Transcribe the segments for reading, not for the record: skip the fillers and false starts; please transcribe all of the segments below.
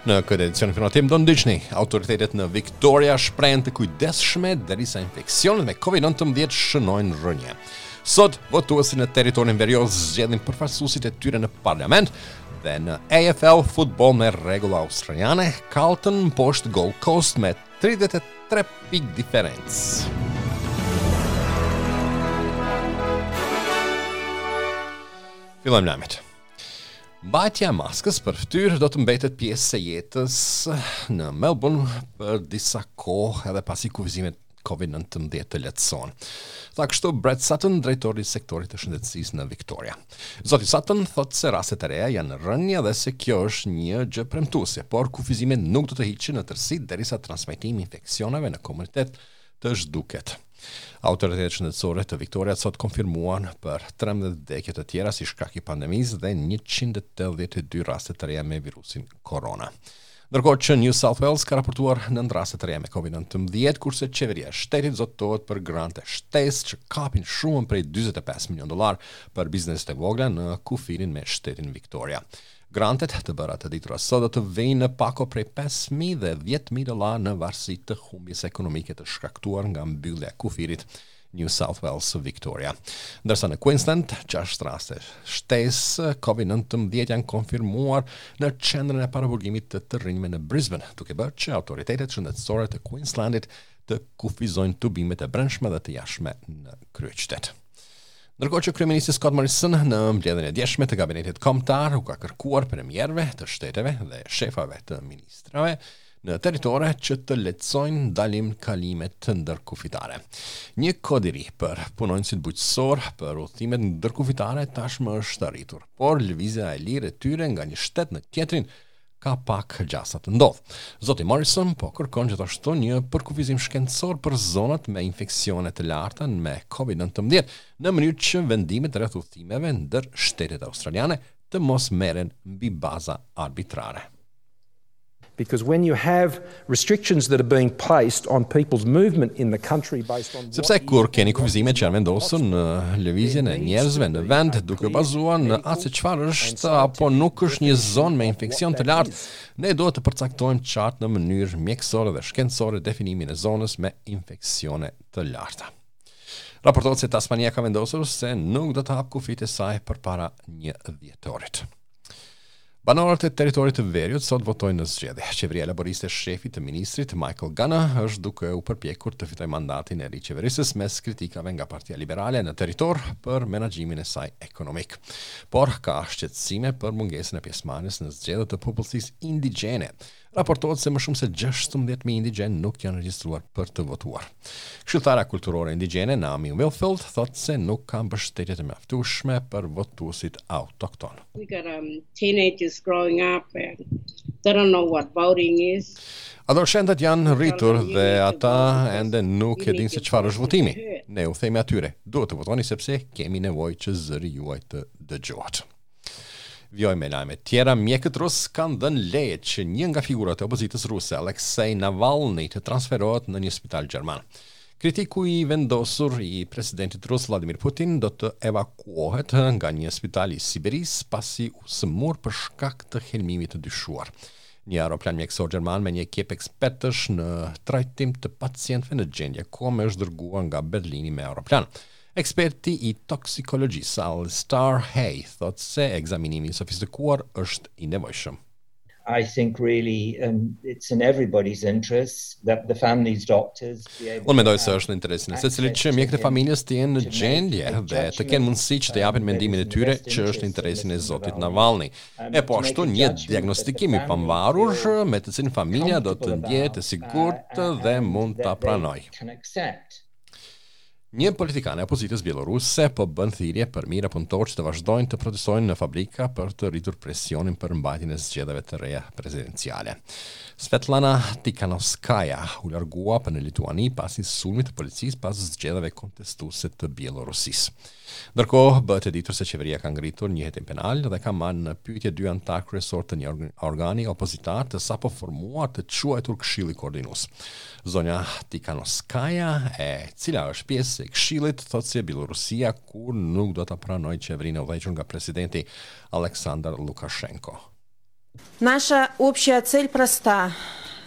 Në këtë edicion informativ do ndiqni autoritetet në Victoria shprehen të kujdesshme derisa infeksionet me COVID-19 shënojnë rënie. Sot votuesit në territorin verior zgjedhin përfaqësuesit e tyre në parlament dhe në AFL futboll me rregulla australiane, Carlton mposht Gold Coast me 33 pikë diferencë. Fillojmë lajmet. Mbajtja e maskës për fytyrë do të mbetet pjesë e jetës në Melbourne për disa kohë edhe pasi kufizimet COVID-19 të lehtësohen. Tha kështu Brett Sutton, drejtori i sektorit të shëndetësisë në Victoria. Zoti Sutton thotë se rastet e reja janë në rënie dhe se kjo është një gjë premtuese, por kufizimet nuk do të hiqen në tërësi derisa transmetimi i infeksioneve në komunitet të zhduket. Autoritetet shëndetësore të Victoria sot konfirmuan për 13 vdekje të tjera si shkak i pandemisë dhe 182 raste të reja me virusin korona. Ndërkohë që New South Wales ka raportuar 9 raste të reja me COVID-19, kurse qeveria e shtetit zotohet për grante shtesë që kapin shumën prej 45 milion dollar për bizneset e vogla në kufirin me shtetin Victoria. Grantet të bëra të ditura sot do të vijnë në pako prej 5.000 dhe 10.000 dollar në varësi të humbjes ekonomike të shkaktuar nga mbyllja e kufirit New South Wales Victoria. Ndërsa në Queensland, 6 raste shtesë COVID-19 janë konfirmuar në qendrën e paraburgimit të të rinjve në Brisbane, duke bërë që autoritetet shëndetësore të Queenslandit të kufizojnë tubimet e brendshme dhe të jashtme në kryeqytet. Ndërkohë që kryeministri Scott Morrison në mbledhjen e djeshme të kabinetit kombëtar u ka kërkuar premierëve të shteteve dhe shefave të ministrave në territore që të lehtësojnë ndalim kalimet ndërkufitare. Një kod i ri për punonjësit bujqësor për udhëtimet ndërkufitare tashmë është arritur, por lëvizja e lirë e tyre nga një shtet në tjetrin ka pak gjasa të ndodhë. Zoti Morrison po kërkon gjithashtu një përkufizim shkencor për zonat me infeksione të larta me COVID-19, në mënyrë që vendimet rreth udhëtimeve ndër shtetet australiane të mos merren mbi baza arbitrare. Because when you have restrictions that are being placed on people's movement in the country based on Sepse kur keni kufizime që janë vendosur në lëvizjen e njerëzve në vend duke u bazuar në atë se çfarë është apo nuk është një zonë me infeksion të lartë, ne duhet të përcaktojmë qartë në mënyrë mjekësore dhe shkencore definimin e zonës me infeksione të larta. Raportohet se Tasmania ka vendosur se nuk do të hapë kufijtë e saj përpara një dhjetorit. Banorët e territorit të veriut sot votojnë në zgjedhje. Qeveria laboriste e shefit të ministrit Michael Gunner është duke u përpjekur të fitojë mandatin e ri qeverisës mes kritikave nga Partia Liberale në territor për menaxhimin e saj ekonomik. Por ka shqetësime për mungesën e pjesëmarrjes në zgjedhje të popullsisë indigjene. Raportohet se më shumë se 16.000 indigjenë nuk janë regjistruar për të votuar. Këshilltarja kulturore indigjene Naomi Wilfield thotë se nuk ka mbështetje të mjaftueshme për votuesit autoktonë. We got um, teenagers growing up and they don't know what voting is. Adoleshentët janë rritur dhe ata ende nuk e dinë se çfarë është votimi. Ne u themi atyre, duhet të votoni sepse kemi nevojë që zëri juaj të dëgjohet. Vijojmë me lajme tjera. Mjekët rusë kanë dhënë leje që një nga figurat e opozitës ruse, Alexei Navalny, të transferohet në një spital gjerman. Kritiku i vendosur i presidentit rus Vladimir Putin do të evakuohet nga një spital i Siberisë pasi u sëmur për shkak të helmimit të dyshuar. Një aeroplan mjekësor gjerman me një ekip ekspertësh në trajtim të pacientëve në gjendje kome është dërguar nga Berlini me aeroplan. Eksperti i toksikologjisë Alistair Hay thotë se ekzaminimi i sofistikuar është i nevojshëm. I think really um, it's in everybody's interest that the family's doctors be able Unë mendoj se është në interesin e secilit që mjekët e familjes të jenë në gjendje dhe të kenë mundësi që të japin mendimin e tyre që është në interesin e zotit Navalny. E po ashtu një diagnostikim i pavarur me të cilin familja do të ndjehet e sigurt dhe mund ta pranojë. Një politikane e opozitës bjelloruse po bën thirrje për mijëra punëtorë që të vazhdojnë të protestojnë në fabrika për të rritur presionin për mbajtjen e zgjedhjeve të reja presidenciale. Svetlana Tikhanovskaya u largua për në Lituani pas një sulmi të policisë pas zgjedhjeve kontestuese të Bjellorusisë. Ndërkohë, bëhet e ditur se qeveria ka ngritur një hetim penal dhe ka marrë në pyetje dy anëtarë kryesorë të një organi opozitar të sapo formuar të quajtur Këshilli Koordinues. Zonja Tikhanovskaya, e cila është pjesë e këshillit, thotë se Bjellorusia kurrë nuk do ta pranojë qeverinë e udhëhequr nga presidenti Aleksandar Lukashenko. Nasha общая цель проста.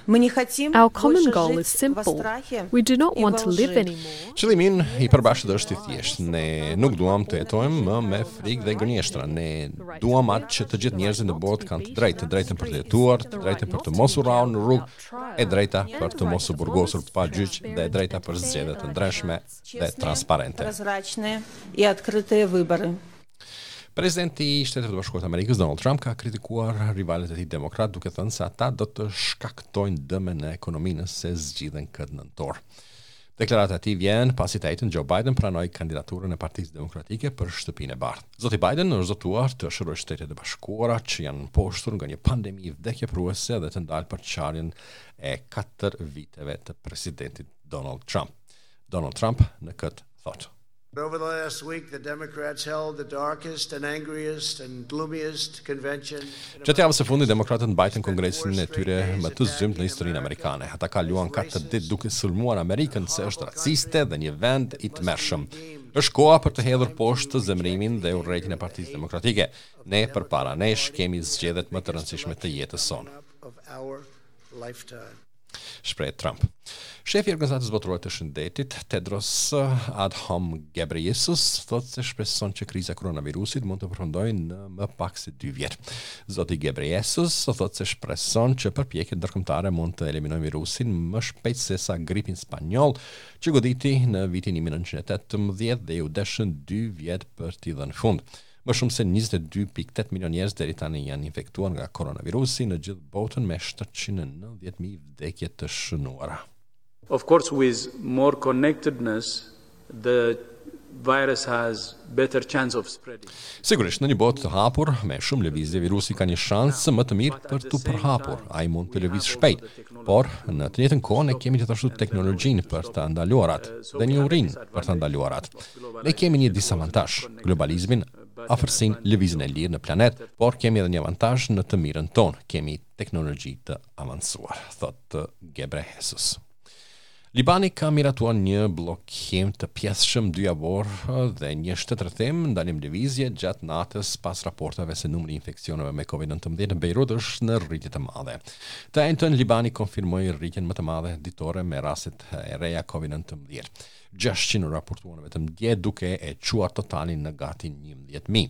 Our common goal is simple. We do not want to live anymore. Qëllimi ynë i përbashkët është i thjeshtë. Ne nuk duam të jetojmë më me frikë dhe gënjeshtra. Ne duam atë që të gjithë njerëzit në botë kanë të drejtë, të drejtën për të jetuar, të drejtën për të mos u rrahur në rrugë, e drejta për të mos u burgosur pa gjyq dhe e drejta për zgjedhje të ndershme dhe transparente. Presidenti i Shteteve të Bashkuara të Amerikës Donald Trump ka kritikuar rivalët e tij demokratë duke thënë se ata do të shkaktojnë dëme në ekonomi nëse zgjidhen këtë nëntor. Deklarata e tij vjen pasi të enjten Joe Biden pranoi kandidaturën e Partisë Demokratike për Shtëpinë e Bardhë. Zoti Biden është zotuar të shërojë Shtetet e Bashkuara që janë mposhtur nga një pandemi vdekjeprurëse dhe të ndalë përçarjen e katër viteve të presidentit Donald Trump. Donald Trump në këtë thotë. Over the last week, the Democrats held the darkest and angriest and gloomiest convention. Gjatë javës së fundit, demokratët mbajtën kongresin e tyre më të zymtë në historinë amerikane. Ata kaluan katër ditë duke sulmuar Amerikën se është raciste dhe një vend i tmerrshëm. Është koha për të hedhur poshtë zemërimin dhe urrejtjen e Partisë Demokratike. Ne përpara nesh kemi zgjedhjet më të rëndësishme të jetës sonë. Shprehet Trump. Shefi i Organizatës Botërore të Shëndetit, Tedros Adhanom Ghebreyesus, thotë se shpreson që kriza e koronavirusit mund të përfundojë në më pak se 2 vjet. Zoti Ghebreyesus thotë se shpreson që përpjekjet ndërkombëtare mund të eliminojnë virusin më shpejt sesa gripin spanjoll që goditi në vitin 1918 dhe iu deshën 2 vjet për t'i dhënë fund. Më shumë se 22.8 milion njerëz deri tani janë infektuar nga koronavirusi në gjithë botën me 790.000 vdekje të shënuara. Of course with more connectedness the virus has better chance of spreading. Sigurisht, në një botë të hapur, me shumë lëvizje, virusi ka një shans më të mirë për t'u përhapur. Ai mund të lëvizë shpejt, por në të njëjtën kohë ne kemi gjithashtu teknologjinë për ta ndaluar atë dhe njohurinë për ta ndaluar atë. Ne kemi një disavantazh, globalizmin, afërsinë, lëvizjen e lirë në planet, por kemi edhe një avantazh në të mirën tonë, kemi teknologji të avancuar, thotë Ghebreyesus. Libani ka miratuar një bllokim të pjesshëm dyjavor dhe një shtetrrethim ndalim lëvizje gjatë natës pas raporteve se numri i infeksioneve me COVID-19 në Beirut është në rritje të madhe. Të enjten Libani konfirmoi rritjen më të madhe ditore me rastet e reja COVID-19. 600 u raportuan vetëm dje duke e çuar totalin në gati 11.000.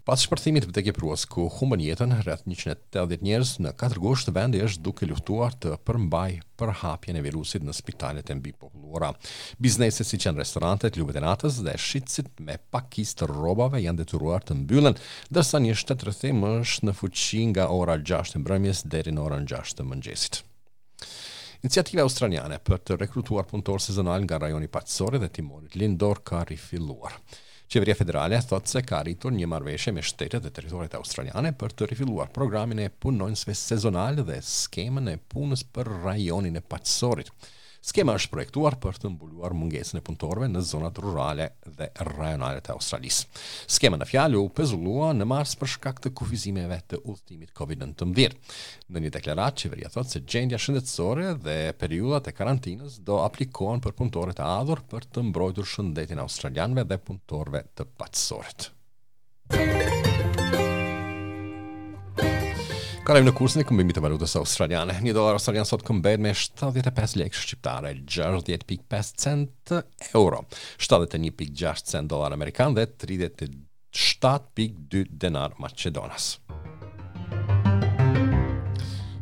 Pas shpërthimit vdekjeprurës ku humbën jetën rreth 180 njerëz në 4 gusht, vendi është duke luftuar të përmbajë përhapjen e virusit në spitalet e mbipopulluara. Bizneset siç janë restorantet, klubet e natës dhe shitësit me pakicë të rrobave janë detyruar të mbyllen, ndërsa një shtetrrethim është në fuqi nga ora 6 e mbrëmjes deri në orën 6 të mëngjesit. Iniciativa australiane për të rekrutuar punëtorë sezonal nga rajoni i Paqësorit dhe Timorit Lindor ka rifilluar. Qeveria federale thotë se ka arritur një marrëveshje me shtetet dhe territoret australiane për të rifilluar programin e punonjësve sezonal dhe skemën e punës për rajonin e Paqësorit. Skema është projektuar për të mbuluar mungesën e punëtorëve në zonat rurale dhe rajonale të Australisë. Skema në fjalë u pezullua në mars për shkak të kufizimeve të udhëtimit COVID-19. Në një deklaratë, qeveria thotë se gjendja shëndetësore dhe periudhat e karantinës do aplikohen për punëtorët e ardhur për të mbrojtur shëndetin e australianëve dhe punëtorëve të paqësorit. Kalojmë në kursin e këmbimit të valutës australiane. Një dollar australian sot këmbehet me 75 lekë shqiptare, 60.5 cent euro, 71.6 cent dollar amerikan dhe 37.2 denar maqedonas.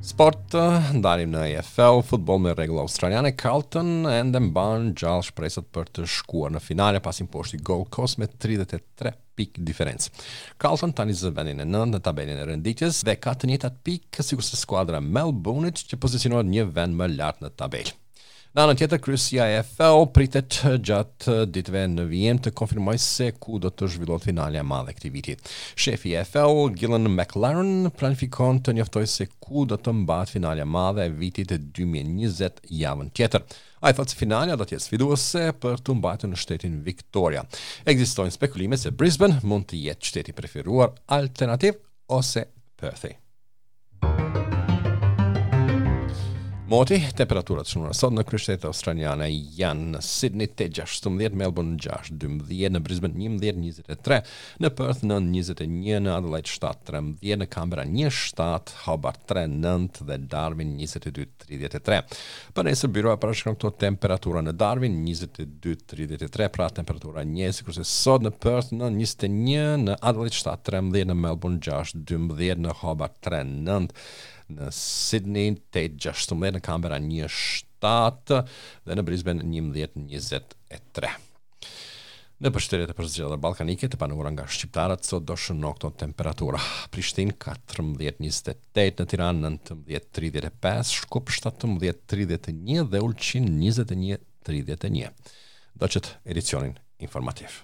Sport, ndalim në AFL, futboll me rregull australiane, Carlton ende mban gjallë shpresat për të shkuar në finale pasi mposhti Gold Coast me 33 pikë diferencë. Carlton tani zë vendin e 9 në tabelën e renditjes dhe ka të njëjtat pikë sikurse skuadra e Melbourne-it që pozicionohet një vend më lart në tabelë. Në anën tjetër, kryesia e AFL pritet gjatë ditëve në vijim të konfirmojë se ku do të zhvillohet finalja e madhe e këtij viti. Shefi i AFL, Gillon McLachlan, planifikon të njoftojë se ku do të mbahet finalja e madhe e vitit 2020 javën tjetër. Ai thotë se finalja do të jetë sfiduese për t'u mbajtur në shtetin Victoria. Ekzistojnë spekulime se Brisbane mund të jetë qyteti i preferuar alternativ ose Perthi. Moti, temperaturat shënuara sot në kryeqytetet australiane janë në Sydney 8.16, Melbourne 6.12, në Brisbane 11.23, në Perth 9.21, në Adelaide 7.13, në Canberra 1.7, Hobart 3.9 dhe Darwin 22.33. Për nesër byroja parashikon këto temperatura në Darwin 22.33, pra temperatura njëjtë sikurse sot në Perth 9.21, në Adelaide 7.13, në Melbourne 6.12, në Hobart 3.9, në Sydney 8.16, në Canberra 1.7 dhe në Brisbane 11.23. Nëpër shtetet e përzgjedhura ballkanike të banuara nga shqiptarët sot do shëno këto temperatura. Prishtinë 14.28, në Tiranë 19.35, Shkup 17.31 dhe Ulqin 21.31. Ndoqët edicionin informativ.